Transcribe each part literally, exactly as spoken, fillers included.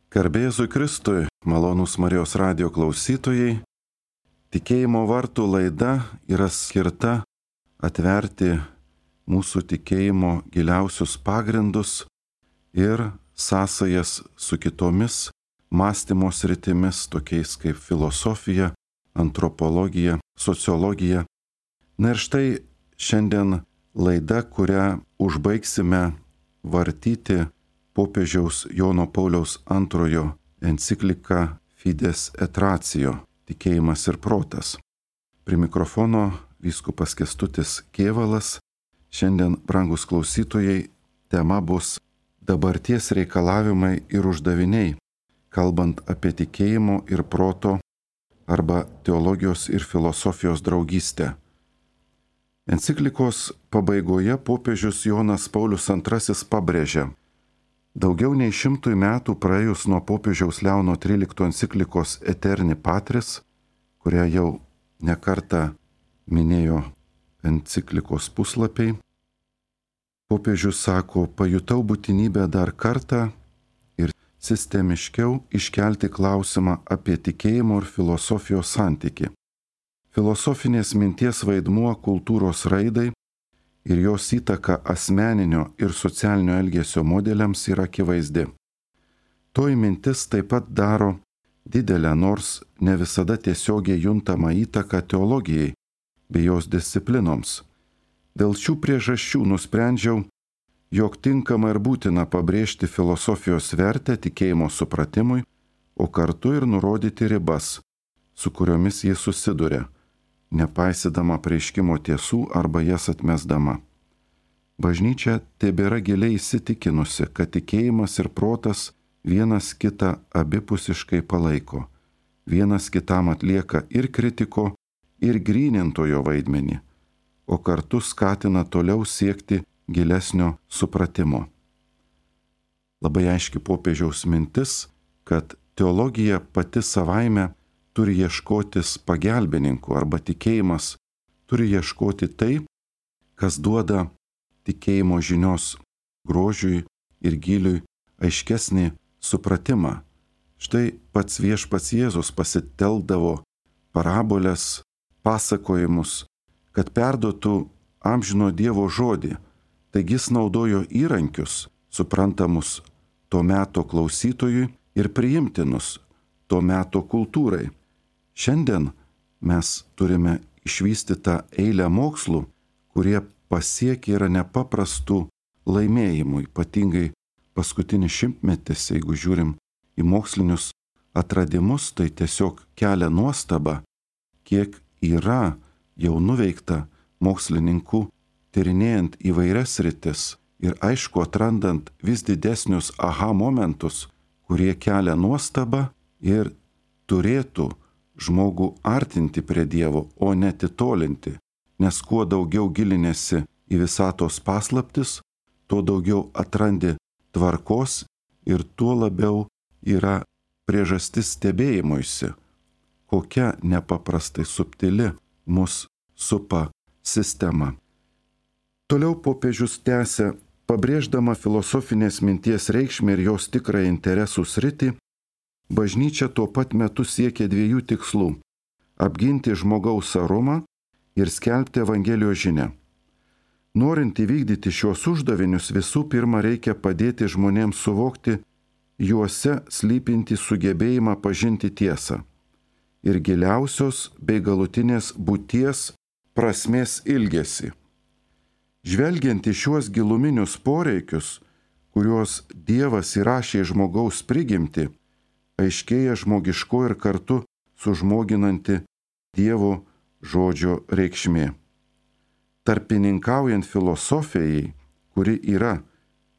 Garbė Jėzui Kristui, malonūs Marijos radijo klausytojai, tikėjimo vartų laida yra skirta atverti mūsų tikėjimo giliausius pagrindus ir sąsajas su kitomis mąstymo sritimis, tokiais kaip filosofija, antropologija, sociologija. Na ir štai šiandien laida, kurią užbaigsime vartyti popiežiaus Jono Pauliaus antrojo enciklika Fides et Ratio – tikėjimas ir protas. Prie mikrofono vyskupas Kęstutis Kėvalas. Šiandien, brangus klausytojai, tema bus dabarties reikalavimai ir uždaviniai, kalbant apie tikėjimo ir proto arba teologijos ir filosofijos draugystę. Enciklikos pabaigoje popiežius Jonas Paulius antrasis pabrėžia: daugiau nei šimtui metų praėjus nuo popiežiaus Leono trylikto enciklikos Eterni Patris, kurią jau nekartą minėjo enciklikos puslapiai, popiežius sako, pajutau būtinybę dar kartą ir sistemiškiau iškelti klausimą apie tikėjimo ir filosofijos santykį. Filosofinės minties vaidmuo kultūros raidai ir jos įtaka asmeninio ir socialinio elgesio modeliams yra akivaizdi. Toji mintis taip pat daro didelę, nors ne visada tiesiogiai juntamą įtaką teologijai bei jos disciplinoms. Dėl šių priežasčių nusprendžiau, jog tinkama ir būtina pabrėžti filosofijos vertę tikėjimo supratimui, o kartu ir nurodyti ribas, su kuriomis jis susiduria, nepaisydama apreiškimo tiesų arba jas atmesdama. Bažnyčia tebėra giliai įsitikinusi, kad tikėjimas ir protas vienas kitą abipusiškai palaiko, vienas kitam atlieka ir kritiko, ir grynintojo vaidmenį, o kartu skatina toliau siekti gilesnio supratimo. Labai aiški popiežiaus mintis, kad teologija pati savaime turi ieškotis pagelbininkų arba tikėjimas turi ieškoti tai, kas duoda tikėjimo žinios grožiui ir giliui aiškesnį supratimą. Štai pats viešpats Jėzus pasitelkdavo parabolės, pasakojimus, kad perduotų amžino Dievo žodį. Taigi jis naudojo įrankius, suprantamus to meto klausytojui ir priimtinus to meto kultūrai. Šiandien mes turime išvystytą eilę mokslų, kurie pasiekia yra nepaprastų laimėjimų, ypatingai paskutinis šimtmetis, jeigu žiūrim į mokslinius atradimus, tai tiesiog kelia nuostabą, kiek yra jau nuveikta mokslininkų tyrinėjant įvairias sritis ir aišku atrandant vis didesnius aha momentus, kurie kelia nuostabą ir turėtų žmogų artinti prie Dievo, o ne atitolinti, nes kuo daugiau gilinėsi į visatos paslaptis, tuo daugiau atrandi tvarkos ir tuo labiau yra priežastis stebėjimuisi, kokia nepaprastai subtili mus supa sistema. Toliau popiežius tęsia, pabrėždama filosofinės minties reikšmę ir jos tikrą interesų sritį, bažnyčia tuo pat metu siekia dviejų tikslų – apginti žmogaus orumą ir skelbti Evangelijos žinią. Norint įvykdyti šios uždavinius, visų pirma reikia padėti žmonėms suvokti juose slypintį sugebėjimą pažinti tiesą ir giliausios bei galutinės būties prasmės ilgesį. Žvelgiant į šiuos giluminius poreikius, kuriuos Dievas įrašė į žmogaus prigimtį, aiškėja žmogiško ir kartu sužmoginanti Dievo žodžio reikšmė. Tarpininkaujant filosofijai, kuri yra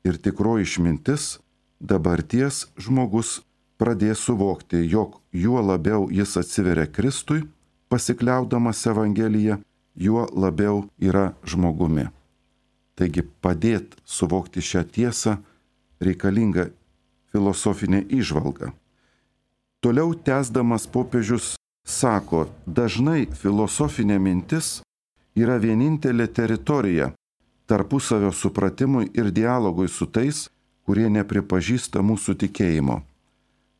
ir tikroji išmintis, dabarties žmogus pradės suvokti, jog juo labiau jis atsiveria Kristui, pasikliaudamas Evangeliją, juo labiau yra žmogumi. Taigi padėt suvokti šią tiesą reikalinga filosofinė įžvalga. Toliau tęsdamas popiežius sako, dažnai filosofinė mintis yra vienintelė teritorija tarpusavio supratimui ir dialogui su tais, kurie nepripažįsta mūsų tikėjimo.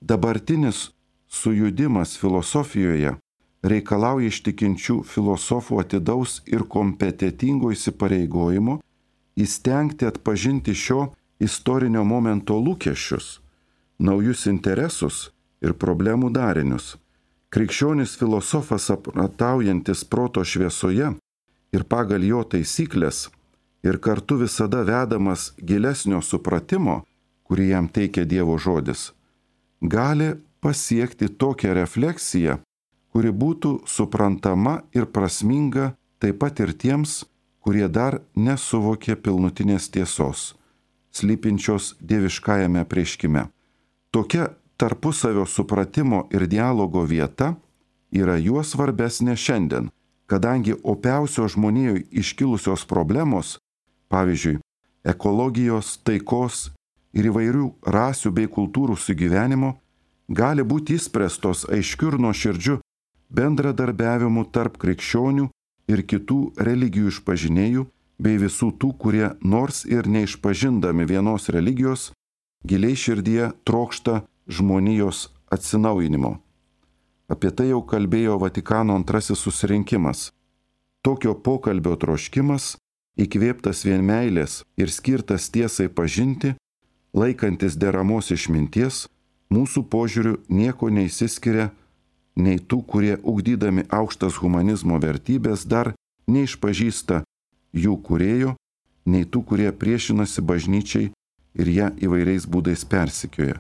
dabartinis sujudimas filosofijoje reikalauja iš tikinčių filosofų atidaus ir kompetitingo įsipareigojimo įstengti atpažinti šio istorinio momento lūkesčius, naujus interesus ir problemų darinius. Krikščionis filosofas aprataujantis proto šviesoje ir pagal jo taisyklės ir kartu visada vedamas gilesnio supratimo, kurį jam teikia Dievo žodis, gali pasiekti tokią refleksiją, kuri būtų suprantama ir prasminga taip pat ir tiems, kurie dar nesuvokė pilnutinės tiesos, slypinčios dieviškajame apreiškime. Tokia tarpusavio supratimo ir dialogo vieta yra juo svarbesnė šiandien, kadangi opiausios žmonijoje iškilusios problemos, pavyzdžiui, ekologijos, taikos ir įvairių rasių bei kultūrų sugyvenimo, gali būti išspręstos aiškiu ir nuoširdžiu bendradarbiavimu tarp krikščionių ir kitų religijų išpažinėjų bei visų tų, kurie nors ir neišpažindami vienos religijos, giliai širdyje trokšta žmonijos atsinaujinimo. Apie tai jau kalbėjo Vatikano antrasis susirinkimas. Tokio pokalbio troškimas, įkvėptas vien meilės ir skirtas tiesai pažinti, laikantis deramos išminties, mūsų požiūriu nieko neįsiskiria nei tų, kurie ugdydami aukštas humanizmo vertybės dar neišpažįsta jų kūrėjo, nei tų, kurie priešinasi bažnyčiai ir ją įvairiais būdais persekioja.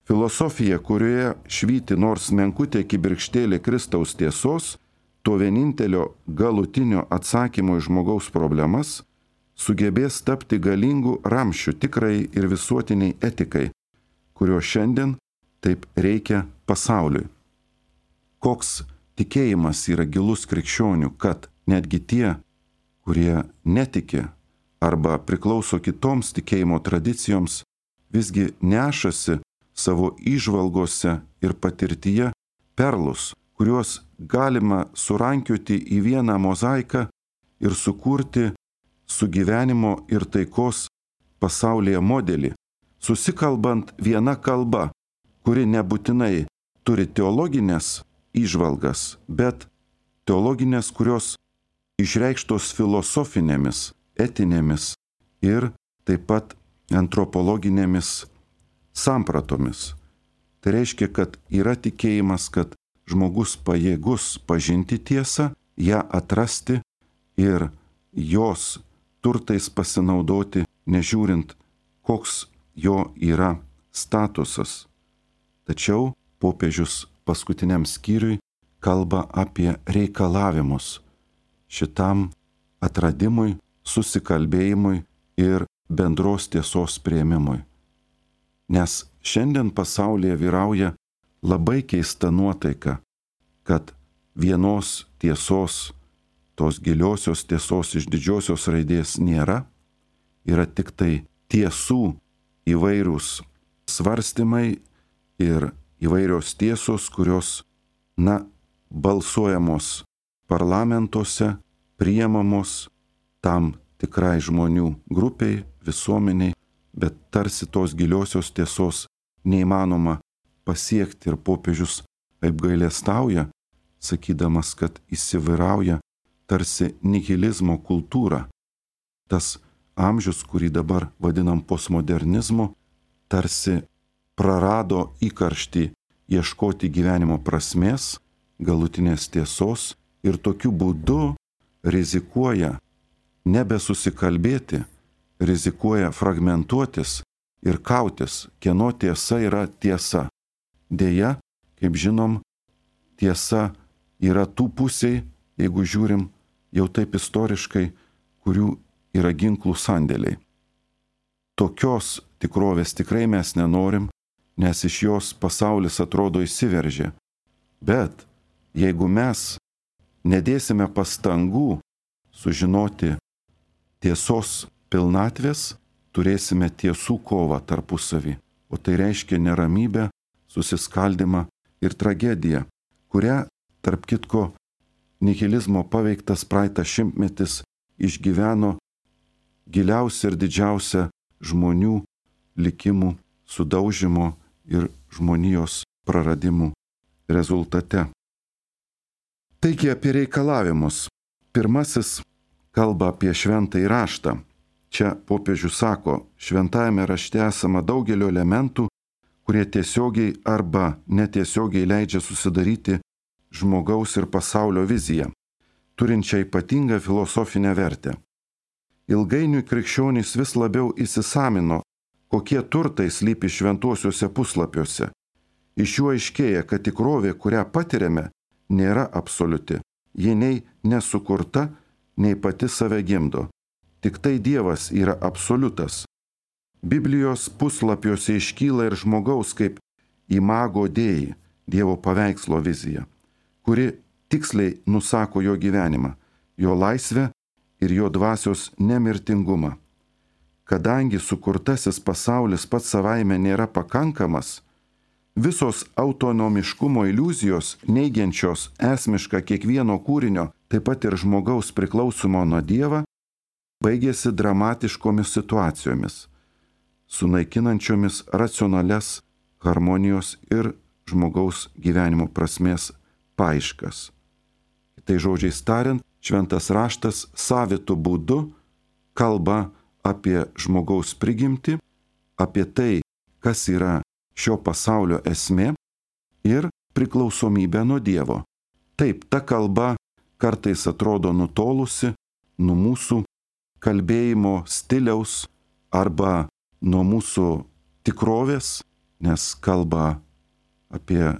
Filosofija, kurioje švyti nors menkutė kibirkštėlė Kristaus tiesos, to vienintelio galutinio atsakymo į žmogaus problemas, sugebės tapti galingų ramščių tikrai ir visuotiniai etikai, kurio šiandien taip reikia pasauliui. Koks tikėjimas yra gilus krikščionių, kad netgi tie, kurie netiki arba priklauso kitoms tikėjimo tradicijoms, visgi nešasi savo įžvalgose ir patirtyje perlus, kuriuos galima surankioti į vieną mozaiką ir sukurti sugyvenimo ir taikos pasaulyje modelį, susikalbant viena kalba, kuri nebūtinai turi teologinės įžvalgas, bet teologinės, kurios išreikštos filosofinėmis, etinėmis ir taip pat antropologinėmis sampratomis. Tai reiškia, kad yra tikėjimas, kad žmogus pajėgus pažinti tiesą, ją atrasti ir jos turtais pasinaudoti, nežiūrint, koks jo yra statusas. Tačiau popiežius paskutiniam skyriui kalba apie reikalavimus šitam atradimui, susikalbėjimui ir bendros tiesos priėmimui. Nes šiandien pasaulyje vyrauja labai keista nuotaika, kad vienos tiesos, tos giliosios tiesos iš didžiosios raidės nėra, yra tik tai tiesų įvairūs svarstymai ir įvairios tiesos, kurios, na, balsuojamos parlamentuose, priimamos tam tikrai žmonių grupiai, visuomeniai, bet tarsi tos giliosios tiesos neįmanoma pasiekti ir popiežius apgailestauja, sakydamas, kad įsivyrauja tarsi nihilizmo kultūra. Tas amžius, kurį dabar vadinam postmodernizmu, tarsi prarado įkarštį ieškoti gyvenimo prasmės, galutinės tiesos ir tokiu būdu rizikuoja nebesusikalbėti, rizikuoja fragmentuotis ir kautis, kieno tiesa yra tiesa. Deja, kaip žinom, tiesa yra tų pusiai, jeigu žiūrim jau taip istoriškai, kurių yra ginklų sandėliai. Tokios tikrovės tikrai mes nenorim, nes iš jos pasaulis atrodo įsiveržė. Bet jeigu mes nedėsime pastangų sužinoti tiesos pilnatvės, turėsime tiesų kovą tarpusavį, o tai reiškia neramybę, susiskaldimą ir tragediją, kurią, tarp kitko, nihilizmo paveiktas praeitas šimtmetis išgyveno giliausia ir didžiausia žmonių likimų sudaužimo ir žmonijos praradimų rezultate. Taigi apie reikalavimus. Pirmasis kalba apie šventąjį raštą. Čia popiežius sako, šventajame rašte esama daugelio elementų, kurie tiesiogiai arba netiesiogiai leidžia susidaryti žmogaus ir pasaulio viziją, turinčią ypatingą filosofinę vertę. Ilgainiui krikščionys vis labiau įsisamino, kokie turtai slypi šventuosiuose puslapiuose. Iš jų aiškėja, kad tikrovė, kurią patiriame, nėra absoliuti. Ji nei nesukurta, nei pati save gimdo. Tik tai Dievas yra absoliutas. Biblijos puslapiuose iškyla ir žmogaus kaip imago Dei, Dievo paveikslo vizija, kuri tiksliai nusako jo gyvenimą, jo laisvę ir jo dvasios nemirtingumą. Kadangi sukurtasis pasaulis pats savaime nėra pakankamas, visos autonomiškumo iliuzijos, neigiančios esmišką kiekvieno kūrinio, taip pat ir žmogaus priklausomo nuo Dievo, baigėsi dramatiškomis situacijomis, sunaikinančiomis racionalias harmonijos ir žmogaus gyvenimo prasmės paieškas. Tai žodžiais tariant, šventas raštas savitu būdu kalba apie žmogaus prigimtį, apie tai, kas yra šio pasaulio esmė ir priklausomybė nuo Dievo. Taip, ta kalba kartais atrodo nutolusi nuo mūsų kalbėjimo stiliaus arba nuo mūsų tikrovės, nes kalba apie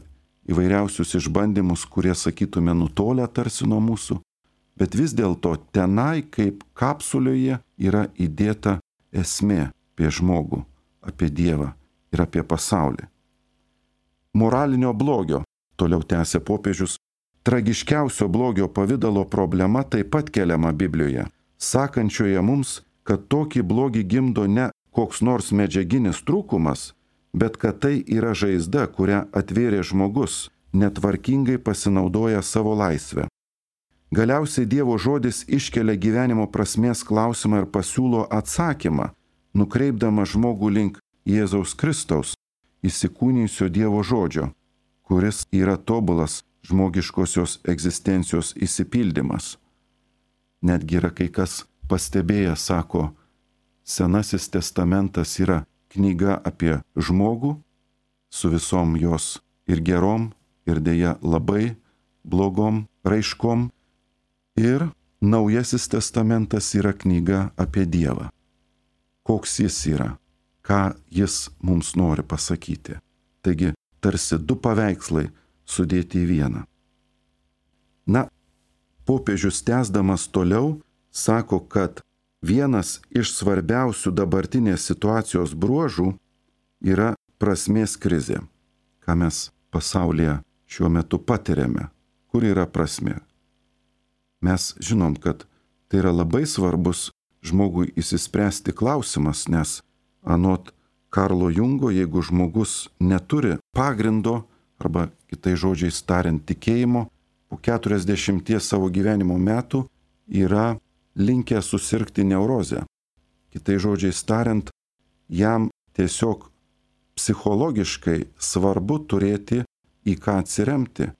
įvairiausius išbandymus, kurie, sakytume, nutolę tarsi nuo mūsų, bet vis dėlto tenai kaip kapsulėje yra įdėta esmė apie žmogų, apie Dievą ir apie pasaulį. Moralinio blogio, toliau tęsė popiežius, tragiškiausio blogio pavidalo problema taip pat keliama Biblijoje, sakančioje mums, kad tokį blogį gimdo ne koks nors medžiaginis trūkumas, bet kad tai yra žaizda, kurią atvėrė žmogus, netvarkingai pasinaudoja savo laisvę. Galiausiai Dievo žodis iškelia gyvenimo prasmės klausimą ir pasiūlo atsakymą, nukreipdama žmogų link Jėzaus Kristaus, įsikūnijusio Dievo žodžio, kuris yra tobulas žmogiškosios egzistencijos išsipildymas. Netgi yra kai kas pastebėję, sako, Senasis testamentas yra knyga apie žmogų su visom jos ir gerom, ir dėja labai blogom raiškom, ir Naujasis testamentas yra knyga apie Dievą. Koks jis yra, ką jis mums nori pasakyti. Taigi, tarsi du paveikslai sudėti į vieną. Na, popiežius tęsdamas toliau sako, kad vienas iš svarbiausių dabartinės situacijos bruožų yra prasmės krizė, ką mes pasaulyje šiuo metu patiriame. Kur yra prasmė? Mes žinom, kad tai yra labai svarbus žmogui įsispręsti klausimas, nes anot Karlo Jungo, jeigu žmogus neturi pagrindo, arba kitais žodžiais tariant tikėjimo, po keturiasdešimties savo gyvenimo metų yra linkę susirgti neurozę. Kitais žodžiais tariant, jam tiesiog psichologiškai svarbu turėti į ką atsiremti,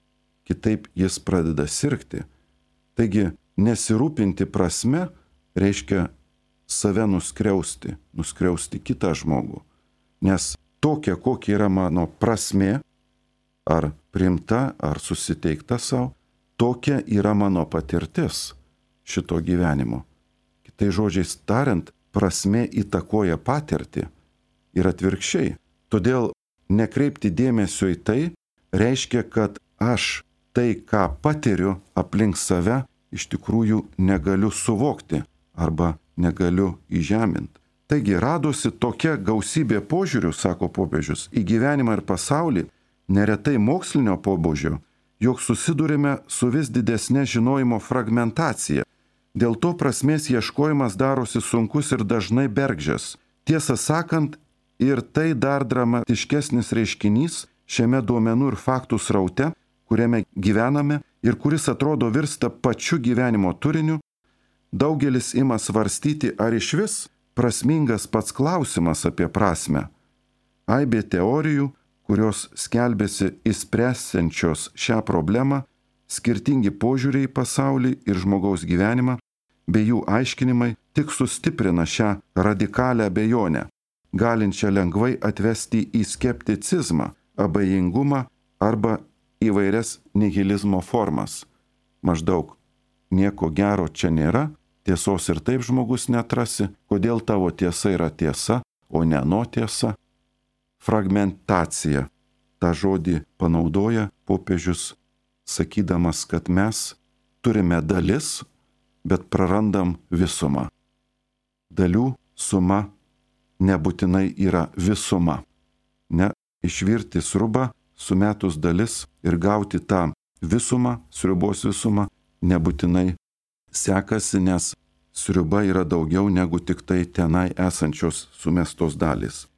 kitaip jis pradeda sirgti. Taigi, nesirūpinti prasme reiškia save nuskriausti, nuskriausti kitą žmogų. Nes tokia, kokia yra mano prasmė, ar priimta, ar susiteikta savo, tokia yra mano patirtis šito gyvenimo. Kitais žodžiais tariant, prasmė įtakoja patirtį ir atvirkščiai. Todėl nekreipti dėmesio į tai reiškia, kad aš tai, ką patiriu aplink save, iš tikrųjų negaliu suvokti arba negaliu įžeminti. Taigi radosi tokia gausybė požiūrių, sako popiežius, į gyvenimą ir pasaulį, neretai mokslinio pobūdžio, jog susidurime su vis didesnė žinojimo fragmentacija. Dėl to prasmės ieškojimas darosi sunkus ir dažnai bergždžias. Tiesą sakant, ir tai dar dramatiškesnis reiškinys šiame duomenų ir faktų sraute, kuriame gyvename ir kuris atrodo virsta pačiu gyvenimo turiniu, daugelis ima svarstyti, ar išvis prasmingas pats klausimas apie prasmę. Aibė teorijų, kurios skelbėsi išspręsiančios šią problemą, skirtingi požiūriai į pasaulį ir žmogaus gyvenimą, bei jų aiškinimai tik sustiprina šią radikalią abejonę, galinčią lengvai atvesti į skepticizmą, abejingumą arba įvairias nihilizmo formas. Maždaug nieko gero čia nėra, tiesos ir taip žmogus neatrasi, kodėl tavo tiesa yra tiesa, o ne ano tiesa. Fragmentacija. Ta žodį panaudoja popiežius, sakydamas, kad mes turime dalis, bet prarandam visumą. Dalių suma nebūtinai yra visuma. Ne, išvirti sriubą, sumetus dalis ir gauti tą visumą, sriubos visumą, nebūtinai sekasi, nes sriuba yra daugiau negu tik tai tenai esančios sumestos dalys.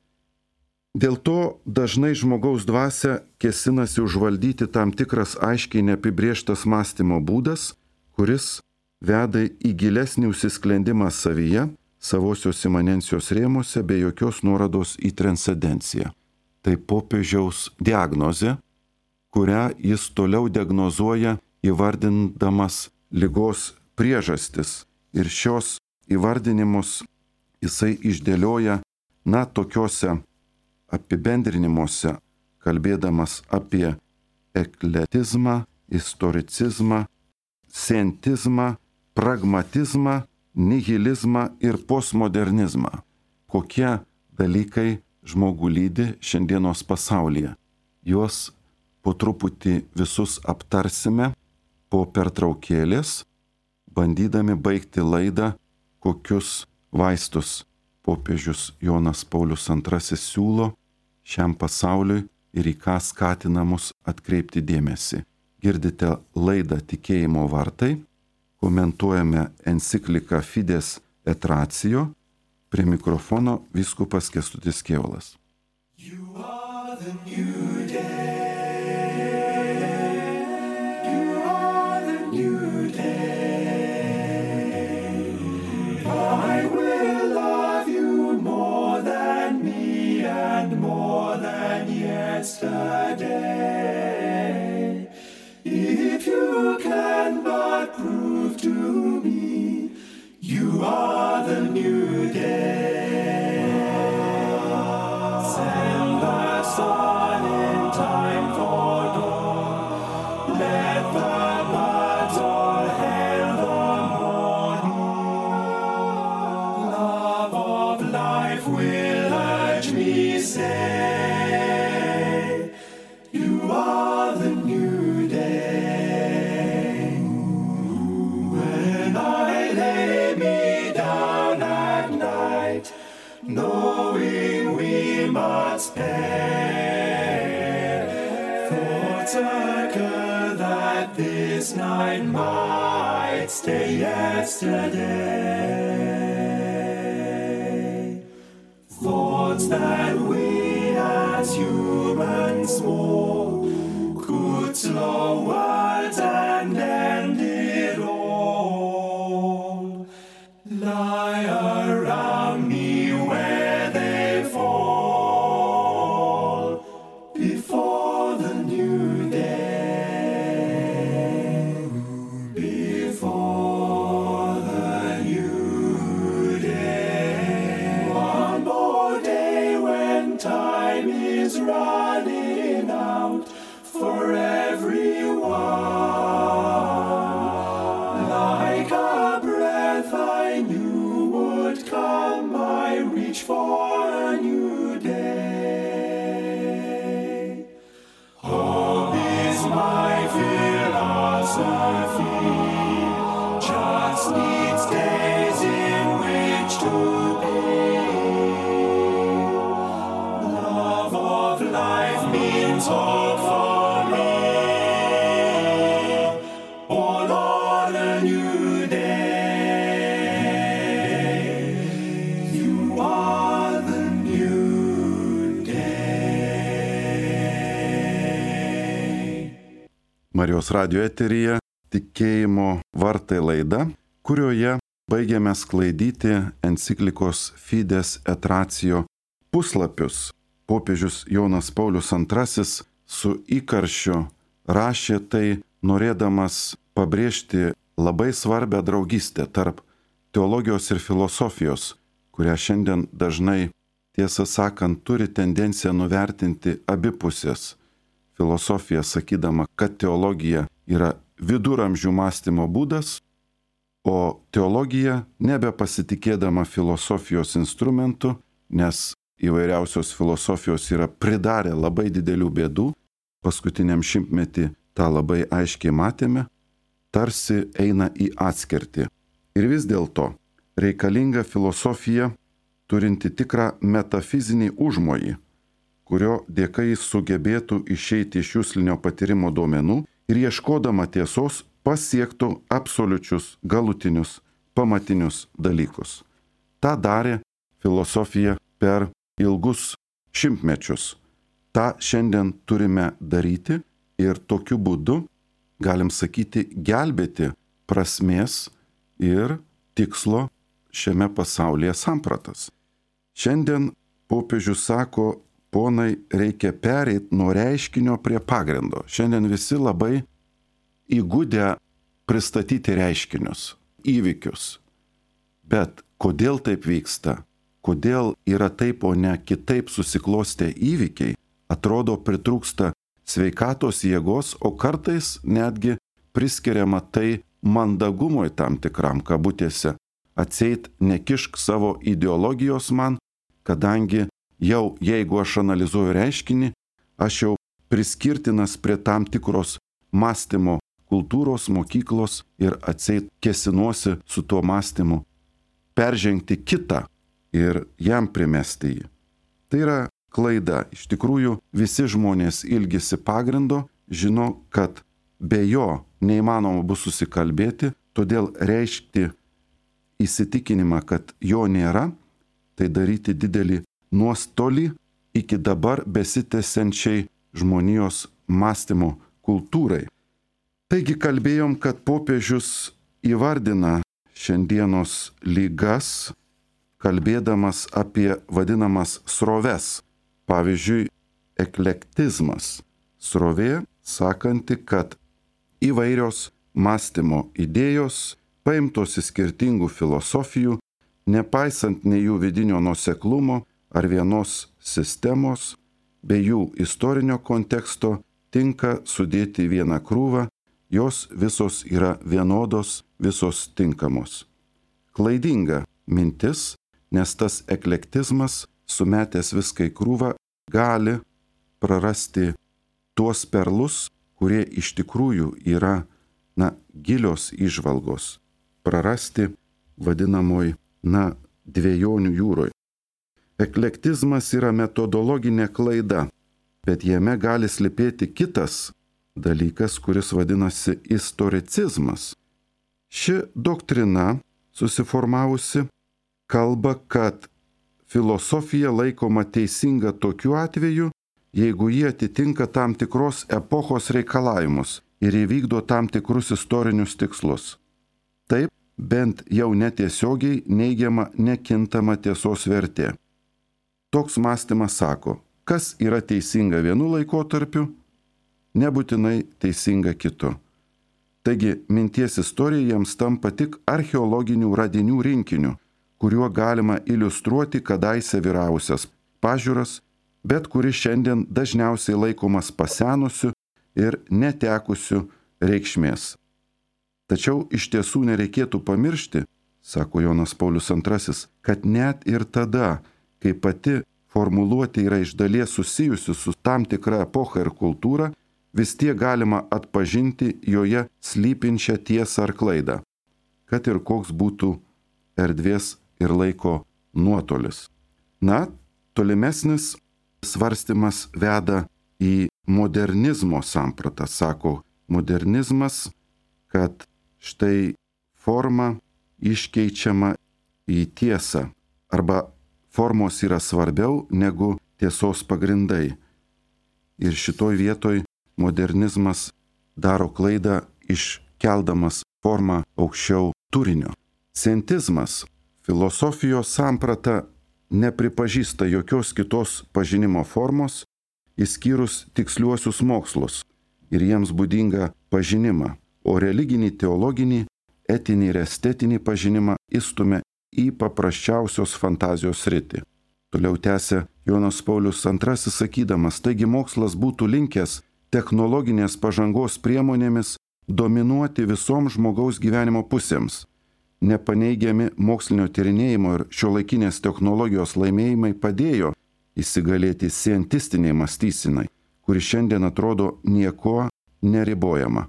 Dėl to dažnai žmogaus dvasia kėsinasi užvaldyti tam tikras aiškiai neapibrėžtas mąstymo būdas, kuris veda į gilesnį užsisklendimą savyje, savosios imanencijos rėmuose, be jokios nuorodos į transcendenciją. Tai popiežiaus diagnozė, kurią jis toliau diagnozuoja įvardindamas ligos priežastis. Ir šios įvardinimus jisai išdėlioja, na, tokiuose apibendrinimuose, kalbėdamas apie ekletizmą, istoricizmą, scientizmą, pragmatizmą, nihilizmą ir postmodernizmą. Kokie dalykai žmogų lydi šiandienos pasaulyje. Juos po truputį visus aptarsime po pertraukėlės, bandydami baigti laidą, kokius vaistus popiežius Jonas Paulius antrasis siūlo šiam pasauliui ir į ką skatina mus atkreipti dėmesį. Girdite laidą Tikėjimo vartai, komentuojame encikliką Fides et Ratio, prie mikrofono vyskupas Kęstutis Kėvalas. You are the new day. You are the new day. I will love you more than me and more than yesterday. If you can but prove to me you are the new day. Send the sun in time for dawn. Let the birds all hail the morning. Love of life will urge me say, you are the new day. When I lay me down at night, knowing we must perish, thoughts occur that this night might stay yesterday. Thoughts that we as humans small could slow words and end it all, lie around me where they fall before the new day, before the new day. One more day when time is running out for everyone. Like a breath I knew would come, I reach for a new day. Hope is my philosophy, just needs days in which to be. Love of life means hope for me. Oh Lord, a new day. You are the new day. Marijos radijo eteryje Tikėjimo vartai laida, kurioje baigiame sklaidyti enciklikos Fides et Ratio puslapius. popiežius Jonas Paulius antrasis su įkarščiu rašė tai, norėdamas pabrėžti labai svarbią draugystę tarp teologijos ir filosofijos, kurią šiandien dažnai, tiesą sakant, turi tendenciją nuvertinti abi pusės. Filosofija sakydama, kad teologija yra viduramžių mąstymo būdas, o teologija nebepasitikėdama filosofijos instrumentu, nes įvairiausios filosofijos yra pridarę labai didelių bėdų, paskutiniam šimtmetį tą labai aiškiai matėme, tarsi eina į atskirtį. Ir vis dėlto reikalinga filosofija turinti tikrą metafizinį užmojį, kurio dėka jis sugebėtų išeiti iš juslinio patyrimo duomenų ir ieškodama tiesos pasiektų absoliučius, galutinius, pamatinius dalykus. Ta darė filosofija per ilgus šimtmečius. Ta šiandien turime daryti ir tokiu būdu, galim sakyti, gelbėti prasmės ir tikslo šiame pasaulyje sampratas. Šiandien popiežius sako, ponai, reikia pereiti nuo reiškinio prie pagrindo. Šiandien visi labai įgudę pristatyti reiškinius, įvykius. Bet kodėl taip vyksta? Kodėl yra taip, o ne kitaip susiklostę įvykiai? Atrodo, pritrūksta sveikatos jėgos, o kartais netgi priskiriama tai mandagumui tam tikram kabutėse. Atseit nekišk savo ideologijos man, kadangi jau jeigu aš analizuoju reiškinį, aš jau priskirtinas prie tam tikros mąstymo kultūros, mokyklos ir atseit kėsinuosi su tuo mąstymu peržengti kitą ir jam primesti jį. Tai yra klaida. Iš tikrųjų, visi žmonės ilgisi pagrindo, žino, kad be jo neįmanoma bus susikalbėti, todėl reiškti įsitikinimą, kad jo nėra, tai daryti didelį nuostolį iki dabar besitęsiančiai žmonijos mąstymo kultūrai. Taigi kalbėjom, kad popiežius įvardina šiandienos lygas, kalbėdamas apie vadinamas sroves. Pavyzdžiui, eklektizmas. Srovė, sakanti, kad įvairios mąstymo idėjos, paimtos iš skirtingų filosofijų, nepaisant nei jų vidinio nuoseklumo ar vienos sistemos, bei jų istorinio konteksto, tinka sudėti vieną krūvą, jos visos yra vienodos, visos tinkamos. Klaidinga mintis, nes tas eklektizmas, sumetęs viską į krūvą, gali prarasti tuos perlus, kurie iš tikrųjų yra, na, gilios įžvalgos. Prarasti vadinamoj, na, dviejonių jūroj. Eklektizmas yra metodologinė klaida, bet jame gali slypėti kitas dalykas, kuris vadinasi istoricizmas. Ši doktrina, susiformavusi, kalba, kad filosofija laikoma teisinga tokiu atveju, jeigu jie atitinka tam tikros epochos reikalavimus ir įvykdo tam tikrus istorinius tikslus. Taip, bent jau netiesiogiai neigiama nekintama tiesos vertė. Toks mąstymas sako, kas yra teisinga vienu laikotarpiu, nebūtinai teisinga kitu. Taigi, minties istorija jiems tampa tik archeologinių radinių rinkiniu, kuriuo galima iliustruoti kadaise vyravusias pažiūras, bet kuris šiandien dažniausiai laikomas pasenusiu ir netekusiu reikšmės. Tačiau iš tiesų nereikėtų pamiršti, sako Jonas Paulius antrasis, kad net ir tada, kai pati formuluotė yra iš dalies susijusi su tam tikra epocha ir kultūra, vis tiek galima atpažinti joje slypinčią tiesą ar klaidą, kad ir koks būtų erdvės ir laiko nuotolis. Na, tolimesnis svarstymas veda į modernizmo sampratą. Sako modernizmas, kad štai forma iškeičiama į tiesą, arba formos yra svarbiau negu tiesos pagrindai. Ir šitoj vietoj modernizmas daro klaidą iškeldamas formą aukščiau turinio. Scientizmas, filosofijos samprata nepripažįsta jokios kitos pažinimo formos, išskyrus tiksliuosius mokslus ir jiems būdingą pažinimą, o religinį, teologinį, etinį ir estetinį pažinimą įstumia į paprasčiausios fantazijos sritį. Toliau tęsia Jonas Paulius antrasis sakydamas, taigi mokslas būtų linkęs technologinės pažangos priemonėmis dominuoti visoms žmogaus gyvenimo pusėms. Nepaneigiami mokslinio tyrinėjimo ir šiuolaikinės technologijos laimėjimai padėjo įsigalėti scientistiniai mąstysenai, kuri šiandien atrodo nieko neribojama,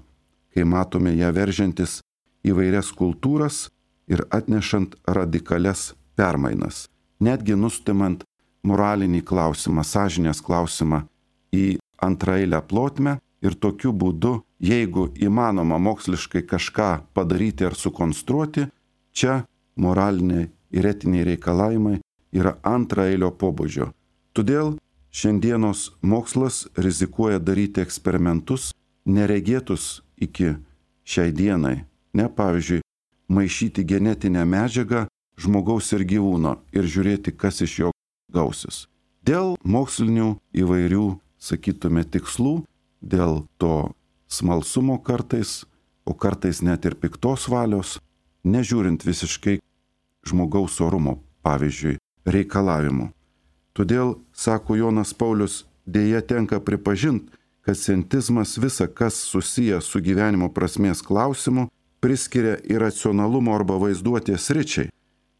kai matome ją veržiantis įvairias kultūras ir atnešant radikalias permainas, netgi nustumant moralinį klausimą, sąžinės klausimą į antraeilę plotmę ir tokiu būdu, jeigu įmanoma moksliškai kažką padaryti ar sukonstruoti, čia moraliniai ir etiniai reikalavimai yra antraeilio pobūdžio. Todėl šiandienos mokslas rizikuoja daryti eksperimentus neregėtus iki šiai dienai. Ne, pavyzdžiui, maišyti genetinę medžiagą žmogaus ir gyvūno ir žiūrėti, kas iš jo gausis. Dėl mokslinių įvairių, sakytume, tikslų, dėl to smalsumo kartais, o kartais net ir piktos valios, nežiūrint visiškai žmogaus orumo, pavyzdžiui, reikalavimų. Todėl, sako Jonas Paulius, dėja tenka pripažinti, kad scientizmas visa, kas susiję su gyvenimo prasmės klausimu, priskiria iracionalumo arba vaizduotės sričiai.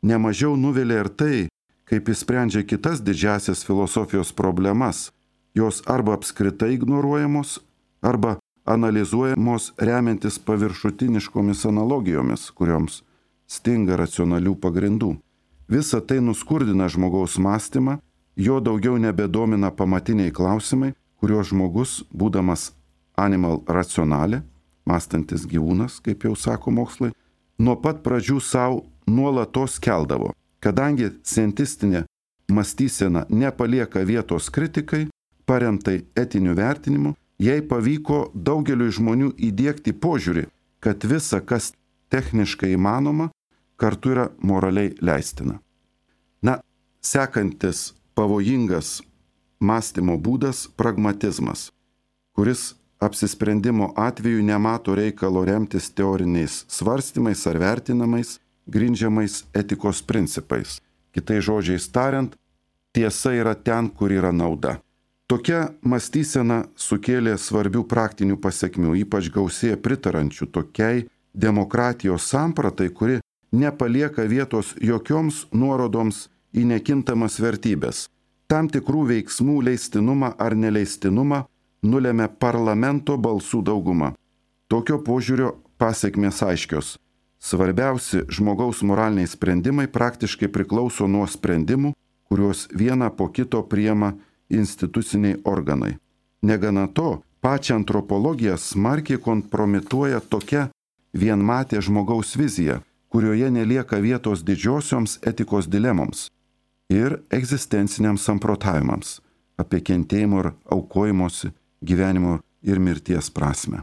Nemažiau nuvilia ir tai, kaip jis sprendžia kitas didžiasias filosofijos problemas. Jos arba apskritai ignoruojamos, arba analizuojamos remiantis paviršutiniškomis analogijomis, kurioms stinga racionalių pagrindų. Visa tai nuskurdina žmogaus mąstymą, jo daugiau nebedomina pamatiniai klausimai, kuriuos žmogus, būdamas animal racionalė, mąstantis gyvūnas, kaip jau sako mokslai, nuo pat pradžių savo nuolatos keldavo. Kadangi scientistinė mąstysena nepalieka vietos kritikai, paremtai etiniu vertinimu, jai pavyko daugeliui žmonių įdiegti požiūrį, kad visa, kas techniškai įmanoma, kartu yra moraliai leistina. Na, sekantis pavojingas mąstymo būdas – pragmatizmas, kuris apsisprendimo atveju nemato reikalo remtis teoriniais svarstymais ar vertinamais, grindžiamais etikos principais. Kitais žodžiais tariant, tiesa yra ten, kur yra nauda. Tokia mąstysena sukėlė svarbių praktinių pasekmių, ypač gausėja pritarančių tokiai demokratijos sampratai, kuri nepalieka vietos jokioms nuorodoms į nekintamas vertybės. Tam tikrų veiksmų leistinumą ar neleistinumą nulemia parlamento balsų dauguma. Tokio požiūrio pasekmės aiškios. Svarbiausi žmogaus moraliniai sprendimai praktiškai priklauso nuo sprendimų, kuriuos vieną po kito priima instituciniai organai. Negana to, pačią antropologiją smarkiai kompromituoja tokia vienmatė žmogaus vizija, kurioje nelieka vietos didžiosioms etikos dilemoms ir egzistenciniams samprotavimams apie kentėjimo ir aukojimosi, gyvenimo ir mirties prasme.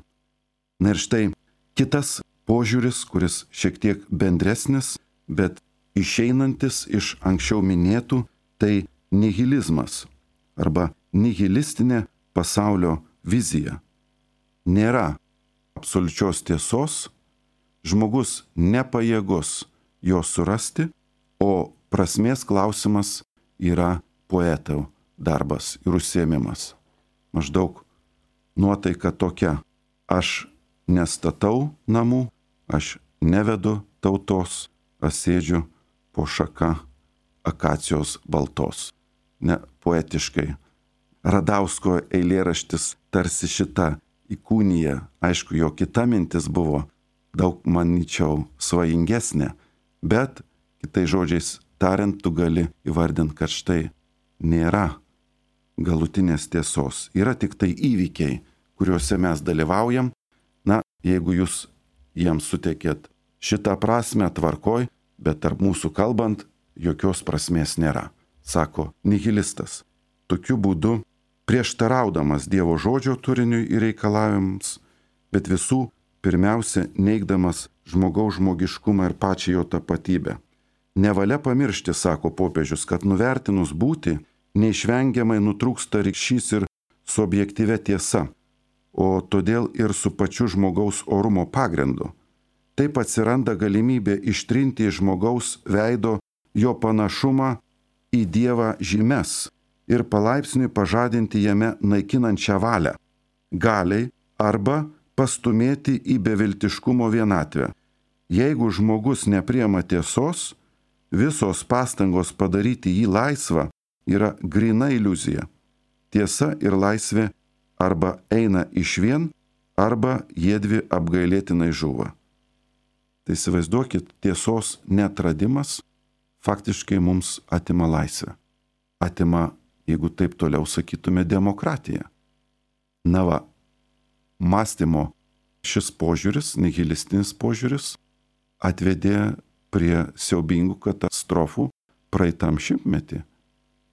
Na ir štai kitas požiūris, kuris šiek tiek bendresnis, bet išeinantis iš anksčiau minėtų, tai nihilizmas arba nihilistinė pasaulio vizija. Nėra absoliučios tiesos, žmogus nepajėgus jos surasti, o prasmės klausimas yra poetų darbas ir užsiėmimas. Maždaug nuotaika tokia: aš nestatau namų, aš nevedu tautos, aš sėdžiu po šaka akacijos baltos. Ne poetiškai. Radausko eilėraštis tarsi šita įkūnija. Aišku, jo kita mintis buvo daug, manyčiau, svajingesnė, bet kitais žodžiais tariant, tu gali įvardinti, kad štai nėra galutinės tiesos. Yra tik tai įvykiai, kuriuose mes dalyvaujam. Na, jeigu jūs jiems suteikėt šitą prasme, tvarkoj, bet tarp mūsų kalbant, jokios prasmės nėra, sako nihilistas. Tokiu būdu prieštaraudamas Dievo žodžio turiniui ir reikalavimams, bet visų pirmiausia neigdamas žmogaus žmogiškumą ir pačią jo tapatybę. Nevalia pamiršti, sako popiežius, kad nuvertinus būtį, neišvengiamai nutrūksta ryšys ir su objektyvia tiesa, o todėl ir su pačiu žmogaus orumo pagrindu. Taip atsiranda galimybė ištrinti iš žmogaus veido jo panašumą į Dievą žymes ir palaipsniui pažadinti jame naikinančią valią, galiai arba pastumėti į beviltiškumo vienatvę. Jeigu žmogus nepriema tiesos, visos pastangos padaryti jį laisvą yra gryna iliuzija. Tiesa ir laisvė arba eina išvien, arba jiedvi apgailėtinai žūva. Tai įsivaizduokit, tiesos neatradimas faktiškai mums atima laisvę. Atima, jeigu taip toliau sakytume, demokratiją. Na va, mąstymo šis požiūris, nihilistinis požiūris, atvedė prie siaubingų katastrofų praeitam šimtmetį.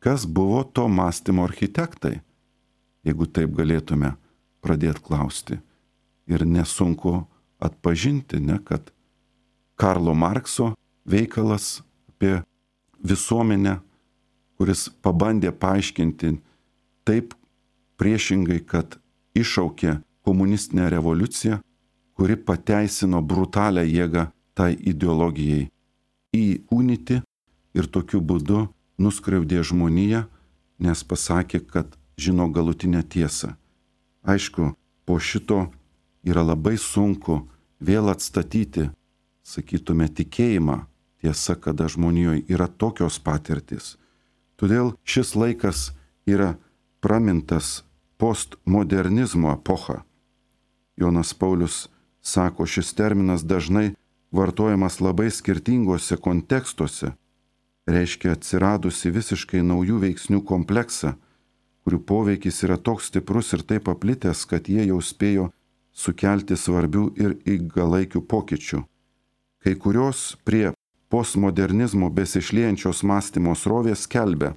Kas buvo to mąstymo architektai, jeigu taip galėtume pradėti klausti? Ir nesunku atpažinti, ne, kad Karlo Markso veikalas apie visuomenę, kuris pabandė paaiškinti taip priešingai, kad iššaukė komunistinę revoliuciją, kuri pateisino brutalią jėgą tai ideologijai įkūnyti ir tokiu būdu nuskriaudė žmoniją, nes pasakė, kad žino galutinę tiesą. Aišku, po šito yra labai sunku vėl atstatyti, sakytume, tikėjimą, tiesa, kada žmonijoje yra tokios patirtis. Todėl šis laikas yra pramintas postmodernizmo epocha. Jonas Paulius sako, šis terminas dažnai vartojamas labai skirtingose kontekstuose, reiškia atsiradusi visiškai naujų veiksnių kompleksą, kurių poveikis yra toks stiprus ir taip paplitęs, kad jie jau spėjo sukelti svarbių ir ilgalaikių pokyčių. Kai kurios prie postmodernizmo besišliejančios mąstymo srovės skelbia,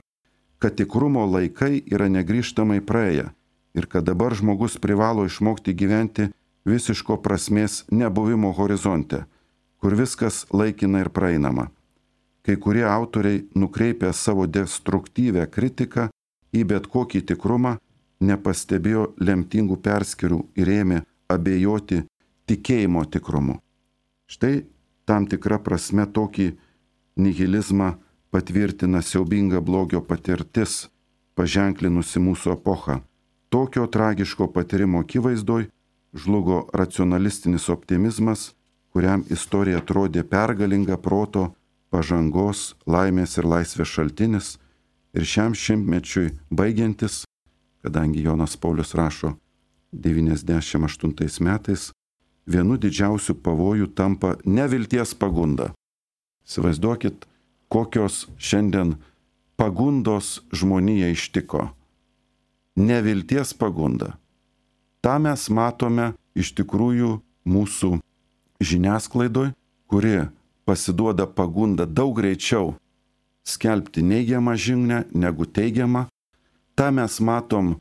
kad tikrumo laikai yra negrįžtamai praėję ir kad dabar žmogus privalo išmokti gyventi visiško prasmės nebuvimo horizonte, kur viskas laikina ir praeinama. Kai kurie autoriai nukreipia savo destruktyvę kritiką į bet kokį tikrumą, nepastebėjo lemtingų perskirų ir ėmė abejoti tikėjimo tikrumu. Štai tam tikra prasme tokį nihilizmą patvirtina siaubinga blogio patirtis, paženklinusi mūsų epochą. Tokio tragiško patyrimo akivaizdoj žlugo racionalistinis optimizmas, kuriam istorija atrodė pergalinga proto, pažangos, laimės ir laisvės šaltinis, ir šiam šimtmečiui baigiantis, kadangi Jonas Paulius rašo devyniasdešimt aštuntais metais, vienu didžiausių pavojų tampa nevilties pagunda. Įsivaizduokit, kokios šiandien pagundos žmonija ištiko. Nevilties pagunda. Ta mes matome iš tikrųjų mūsų žiniasklaidoj, kuri pasiduoda pagundą daug greičiau skelbti neigiamą žinią negu teigiamą. Ta mes matom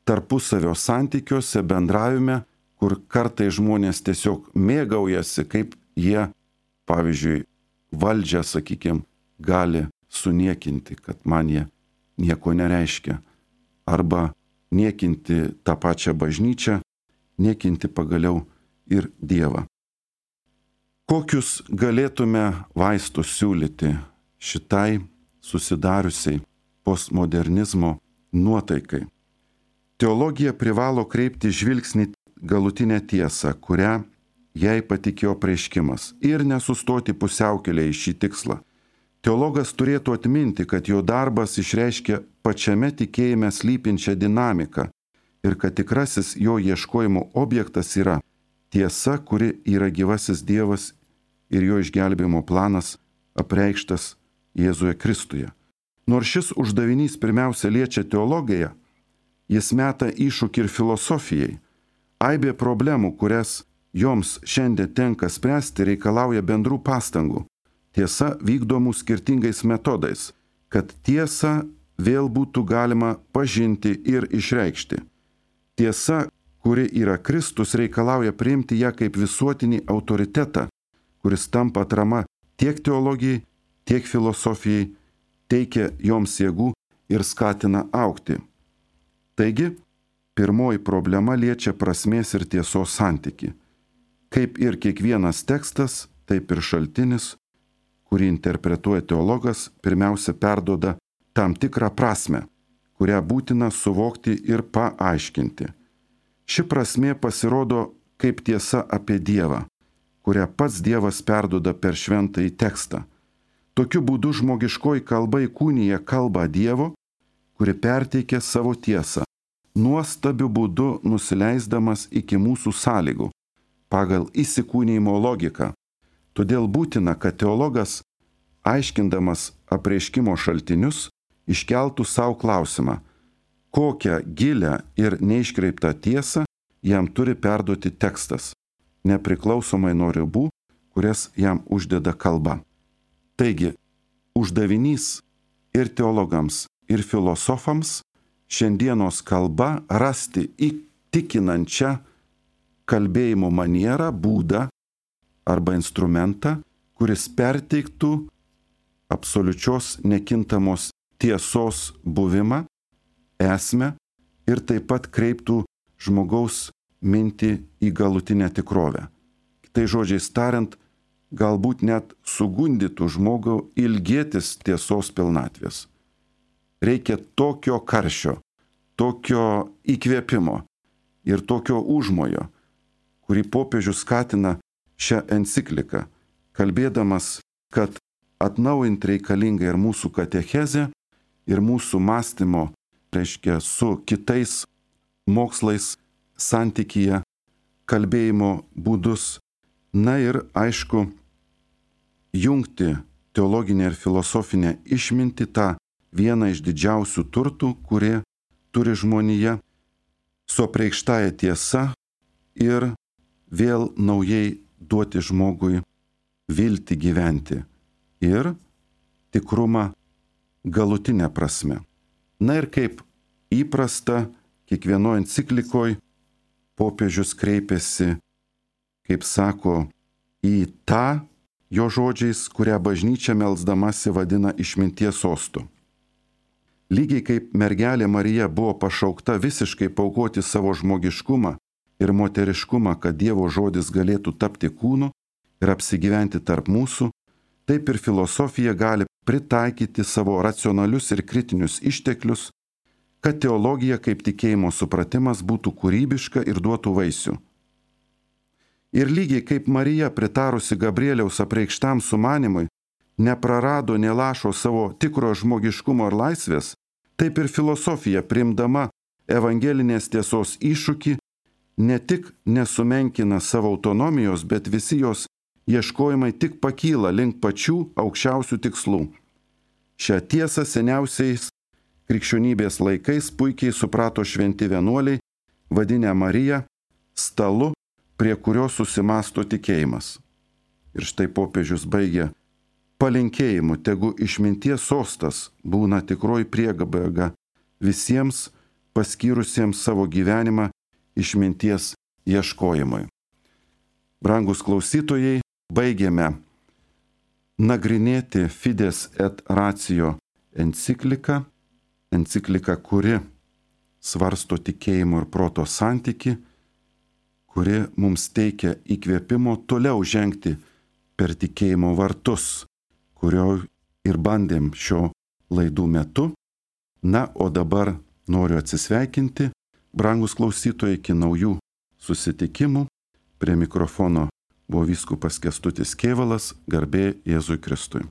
tarpusavio santykiuose, bendravime, kur kartai žmonės tiesiog mėgaujasi, kaip jie, pavyzdžiui, valdžią, sakykime, gali suniekinti, kad man jie nieko nereiškia. Arba niekinti tą pačią bažnyčią, niekinti pagaliau ir Dievą. Kokius galėtume vaistus siūlyti šitai susidariusiai postmodernizmo nuotaikai? Teologija privalo kreipti žvilgsnį galutinę tiesą, kurią jai patikėjo apreiškimas, ir nesustoti pusiaukelėje į šį tikslą. Teologas turėtų atminti, kad jo darbas išreiškia pačiame tikėjime slypinčią dinamiką ir kad tikrasis jo ieškojimo objektas yra tiesa, kuri yra gyvasis Dievas ir jo išgelbėjimo planas apreikštas Jėzuje Kristuje. Nors šis uždavinys pirmiausia liečia teologiją, jis meta iššūkį ir filosofijai. Aibė problemų, kurias joms šiandien tenka spręsti, reikalauja bendrų pastangų. Tiesa vykdomų skirtingais metodais, kad tiesą vėl būtų galima pažinti ir išreikšti. Tiesa, kuri yra Kristus, reikalauja priimti ją kaip visuotinį autoritetą, kuris tampa atrama tiek teologijai, tiek filosofijai, teikia joms jėgų ir skatina augti. Taigi, pirmoji problema liečia prasmės ir tiesos santyki. Kaip ir kiekvienas tekstas, taip ir šaltinis, kurį interpretuoja teologas, pirmiausia perduoda tam tikrą prasmę, kurią būtina suvokti ir paaiškinti. Ši prasmė pasirodo kaip tiesa apie Dievą, kurią pats Dievas perduoda per šventąjį tekstą. Tokiu būdu žmogiškoji kalba įkūnija kalbą Dievo, kuri perteikia savo tiesą, nuostabiu būdu nusileisdamas iki mūsų sąlygų, pagal įsikūnijimo logiką. Todėl būtina, kad teologas, aiškindamas apreiškimo šaltinius, iškeltų savo klausimą, kokią gilią ir neiškreiptą tiesą jam turi perduoti tekstas, nepriklausomai nuo ribų, kurias jam uždeda kalba. Taigi, uždavinys ir teologams, ir filosofams šiandienos kalba rasti įtikinančią kalbėjimo manierą, būdą arba instrumentą, kuris perteiktų absoliučios nekintamos tiesos buvimą, esmę ir taip pat kreiptų žmogaus mintį į galutinę tikrovę. Kitais žodžiais tariant, galbūt net sugundytų žmogų ilgėtis tiesos pilnatvės. Reikia tokio karščio, tokio įkvėpimo ir tokio užmojo, kurį popiežius skatina šią encikliką, kalbėdamas, kad atnaujinti reikalinga ir mūsų katechezė, ir mūsų mąstymo, reiškia, su kitais mokslais santykyje, kalbėjimo būdus, na ir aišku, jungti teologinę ir filosofinę išmintį, tą vieną iš didžiausių turtų, kurie turi žmonija, su apreikštąja tiesa ir vėl naujai duoti žmogui viltį gyventi ir tikrumą galutinę prasme. Na ir kaip įprasta, kiekvienoje enciklikoje popiežius kreipiasi, kaip sako, į tą jo žodžiais, kurią bažnyčia melsdamasi vadina išminties sostu. Lygiai kaip mergelė Marija buvo pašaukta visiškai paaukoti savo žmogiškumą ir moteriškumą, kad Dievo žodis galėtų tapti kūnu ir apsigyventi tarp mūsų, taip ir filosofija gali pritaikyti savo racionalius ir kritinius išteklius, kad teologija kaip tikėjimo supratimas būtų kūrybiška ir duotų vaisių. Ir lygiai kaip Marija, pritarusi Gabrieliaus apreikštam sumanimui, neprarado nė lašo savo tikro žmogiškumo ir laisvės, taip ir filosofija, priimdama evangelinės tiesos iššūkį, ne tik nesumenkina savo autonomijos, bet visi jos ieškojimai tik pakyla link pačių aukščiausių tikslų. Šią tiesą seniausiais krikščionybės laikais puikiai suprato šventi vienuoliai, vadinę Mariją stalu, prie kurio susimasto tikėjimas. Ir štai popiežius baigia palinkėjimu, tegu išminties sostas būna tikroji priebėga visiems paskyrusiems savo gyvenimą išminties ieškojimui. Brangus klausytojai, baigėme nagrinėti Fides et Ratio encikliką, encikliką, kuri svarsto tikėjimo ir proto santyki, kuri mums teikia įkvėpimo toliau žengti per tikėjimo vartus, kurio ir bandėm šio laidų metu. Na, o dabar noriu atsisveikinti, brangus klausytojai, iki naujų susitikimų. Prie mikrofono buvo vyskupas Kęstutis Kėvalas, garbė Jėzui Kristui.